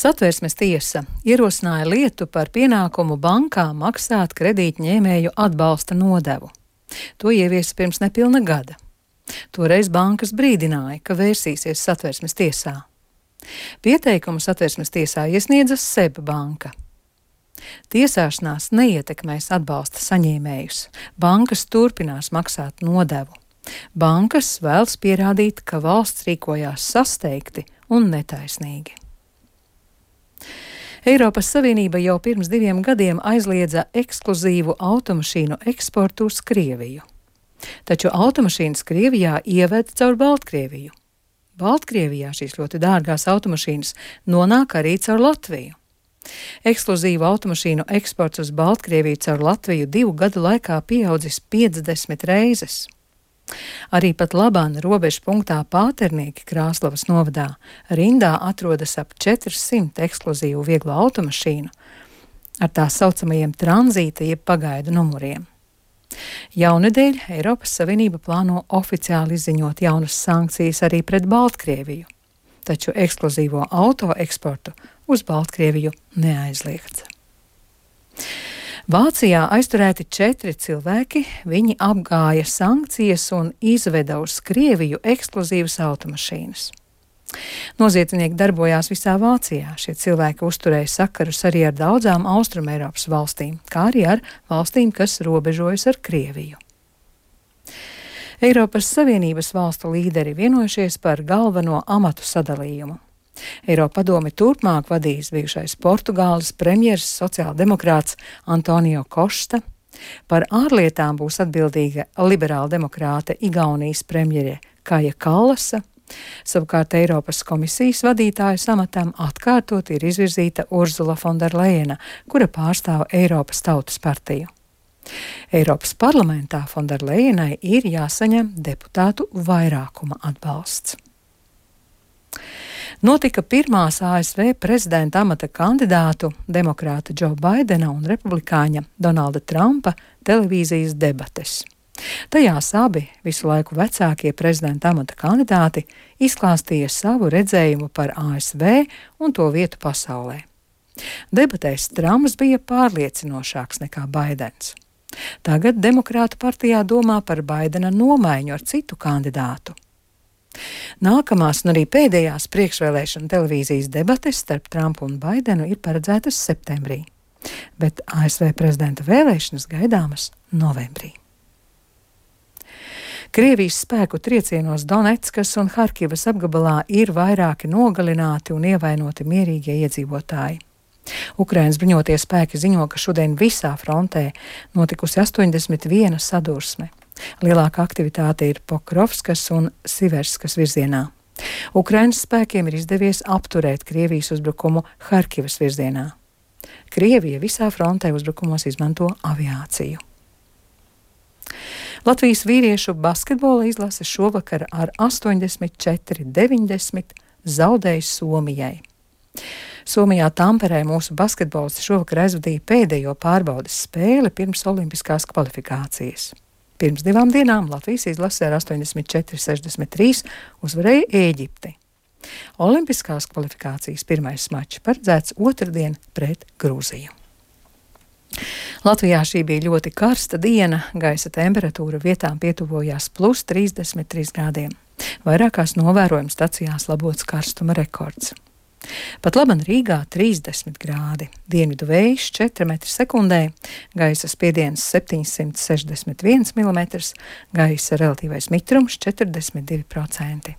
Satversmes tiesa ierosināja lietu par pienākumu bankām maksāt kredītņēmēju atbalsta nodevu. To ieviesa pirms nepilna gada. Toreiz bankas brīdināja, ka vērsīsies Satversmes tiesā. Pieteikumu Satversmes tiesā iesniedza SEB banka. Tiesāšanās neietekmēs atbalsta saņēmējus. Bankas turpinās maksāt nodevu. Bankas vēlas pierādīt, ka valsts rīkojās sasteigti un netaisnīgi. Eiropas Savienība jau pirms 2 gadiem aizliedza ekskluzīvu automašīnu eksportu uz Krieviju. Taču automašīnas Krievijā ieved caur Baltkrieviju. Baltkrievijā šīs ļoti dārgās automašīnas nonāk arī caur Latviju. Ekskluzīvu automašīnu eksports uz Baltkrieviju caur Latviju 2 gadu laikā pieaudzis 50 reizes. Arī pat labāk robežu punktā Pāternieki Krāslavas novadā rindā atrodas ap 400 ekskluzīvu vieglo automašīnu ar tā saucamajiem tranzīta jeb pagaidu numuriem. Jaunedēļ Eiropas Savienība plāno oficiāli izziņot jaunas sankcijas arī pret Baltkrieviju, taču ekskluzīvo auto eksportu uz Baltkrieviju neaizliegts. Vācijā aizturēti 4 cilvēki, viņi apgāja sankcijas un izveda uz Krieviju ekskluzīvas automašīnas. Noziedznieki darbojās visā Vācijā. Šie cilvēki uzturēja sakarus arī ar daudzām Austrumeiropas valstīm, kā arī ar valstīm, kas robežojas ar Krieviju. Eiropas Savienības valstu līderi vienojušies par galveno amatu sadalījumu. Eiropadome turpmāk vadīs bijušais Portugāles premjers sociāldemokrāts Antonio Kosta, par ārlietām būs atbildīga liberāla demokrāte Igaunijas premjere Kaja Kallasa, savukārt Eiropas komisijas vadītājas amatam atkārtot ir izvirzīta Urzula Fonderlejena, kura pārstāv Eiropas Tautas partiju. Eiropas parlamentā Fonderlejenai ir jāsaņem deputātu vairākuma atbalsts. Notika pirmās ASV prezidenta amata kandidātu, demokrāta Džo Baidena un republikāņa Donalda Trumpa televīzijas debates. Tajās abi visu laiku vecākie prezidenta amata kandidāti izklāstīja savu redzējumu par ASV un to vietu pasaulē. Debatēs Trumps bija pārliecinošāks nekā Baidens. Tagad demokrātu partijā domā par Baidena nomaiņu ar citu kandidātu. Nākamās un arī pēdējās priekšvēlēšana televīzijas debates starp Trumpu un Baidenu ir paredzētas septembrī, bet ASV prezidenta vēlēšanas gaidāmas novembrī. Krievijas spēku triecienos Donetskas un Harkivas apgabalā ir vairāki nogalināti un ievainoti mierīgie iedzīvotāji. Ukrainas bruņotie spēki ziņo, ka šodien visā frontē notikusi 81 sadursme. Lielākā aktivitāte ir Pokrovskas un Siverskas virzienā. Ukrainas spēkiem ir izdevies apturēt Krievijas uzbrukumu Harkivas virzienā. Krievija visā frontē uzbrukumos izmanto aviāciju. Latvijas vīriešu basketbola izlase šovakar ar 84-90 zaudēja Somijai. Somijā Tamperē mūsu basketbolisti šovakar aizvadīja pēdējo pārbaudes spēli pirms olimpiskās kvalifikācijas. Pirms 2 dienām Latvijas izlase ar 84-63 uzvarēja Ēģipti. Olimpiskās kvalifikācijas pirmais mačs paredzēts otrdien pret Grūziju. Latvijā šī bija ļoti karsta diena, gaisa temperatūra vietām pietuvojās +33 grādiem. Vairākās novērojuma stacijās labots karstuma rekords. Pat laban Rīgā 30 grādi, dienvidu vējš 4 m/sekundē, gaisa spiediens 761 mm, gaisa relatīvais mitrums 42%.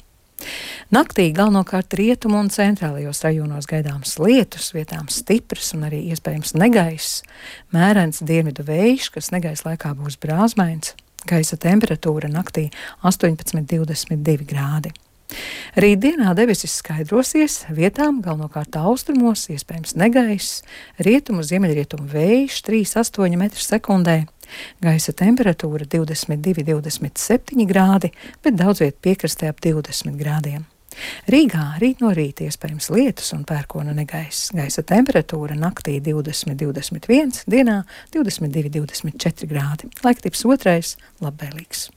Naktī galvenokārt rietumu un centrālajos rajonos gaidāms lietus, vietām stiprs un arī iespējams negaiss, mērens dienvidu vējš, kas negaisa laikā būs brāzmains, gaisa temperatūra naktī 18-22 grādi. Rītdienā debesis skaidrosies, vietām galvenokārt austrumos, iespējams negaiss, rietumu ziemeļrietumu vējš 3,8 m/sekundē, gaisa temperatūra 22-27 grādi, bet daudz viet piekrastē ap 20 grādiem. Rīgā rīt no rīta iespējams lietus un pērkona negaiss, gaisa temperatūra naktī 20-21, dienā 22-24 grādi. Laiktips otrais labvēlīgs.